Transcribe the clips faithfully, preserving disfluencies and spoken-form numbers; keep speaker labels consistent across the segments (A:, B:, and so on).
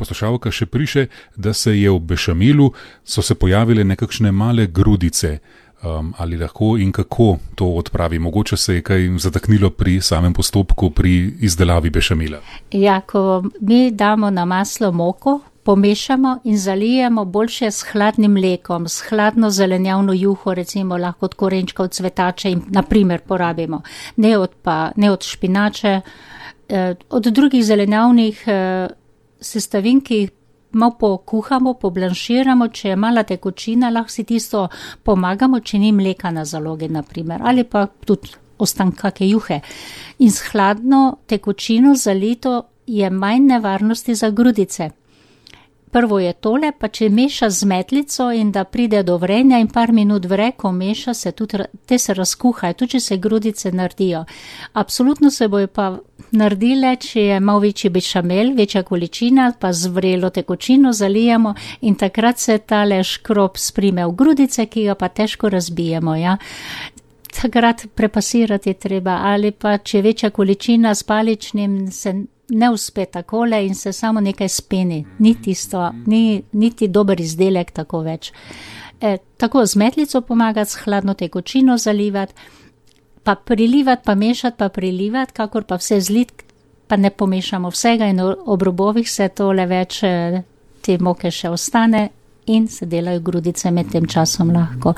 A: Poslušalka še piše, da se je v bešamilu so se pojavile nekakšne male grudice. Um, ali lahko in kako to odpravi? Mogoče se je kaj zataknilo pri samem postopku, pri izdelavi bešamila?
B: Ja, ko mi damo na maslo moko, pomešamo in zalijemo boljše s hladnim mlekom, s hladno zelenjavno juho, recimo lahko od korenčka, od cvetače in naprimer porabimo. Ne od, pa, ne od špinače, eh, od drugih zelenjavnih eh, sestavin, ki jih malo pokuhamo, poblanširamo, če je mala tekočina, lahko si tisto pomagamo, če ni mleka na zalogi, naprimer, ali pa tudi ostanka kake juhe. In s hladno tekočino zalito je manj nevarnosti za grudice. Prvo je tole, pa če meša z metlico in da pride do vrenja in par minut vre, ko meša, se tudi, te se razkuhajo, tudi če se grudice naredijo. Absolutno se bojo pa naredile, če je malo večji bešamel, večja količina, pa z vrelo tekočino zalijemo in takrat se tale škrob sprime v grudice, ki ga pa težko razbijemo, ja. Takrat prepasirati treba, ali pa če večja količina s paličnim se ne uspe takole in se samo nekaj speni, ni tisto, ni, niti dober izdelek tako več. E, tako z metlico pomagati, s hladno tekočino zalivati, pa prilivati, pa mešati, pa prilivati, kakor pa vse zlit, pa ne pomešamo vsega in ob robovih se tole več te moke še ostane in se delajo grudice med tem časom lahko.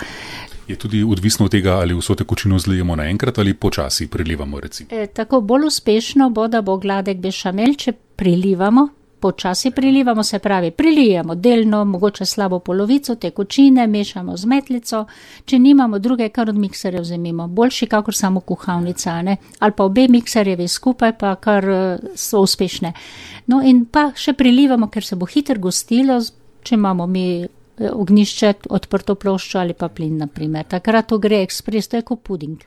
A: Je tudi odvisno od tega, ali vso tekočino zlijemo naenkrat ali počasi prilivamo, recimo.
B: E, tako bolj uspešno bo, da bo gladek bešamel, če prilivamo, počasi prilivamo, se pravi, prilijemo delno, mogoče slabo polovico tekočine, mešamo z metlico, če nimamo druge, kar od mikserja vzemimo, boljši kakor samo kuhavnica, ne? Ali pa obe mikserjevi skupaj, pa kar so uspešne. No in pa še prilivamo, ker se bo hitro gostilo, če imamo mi ognjišče, odprto ploščo ali pa plin, naprimer. Takrat to gre ekspres, to je kot puding.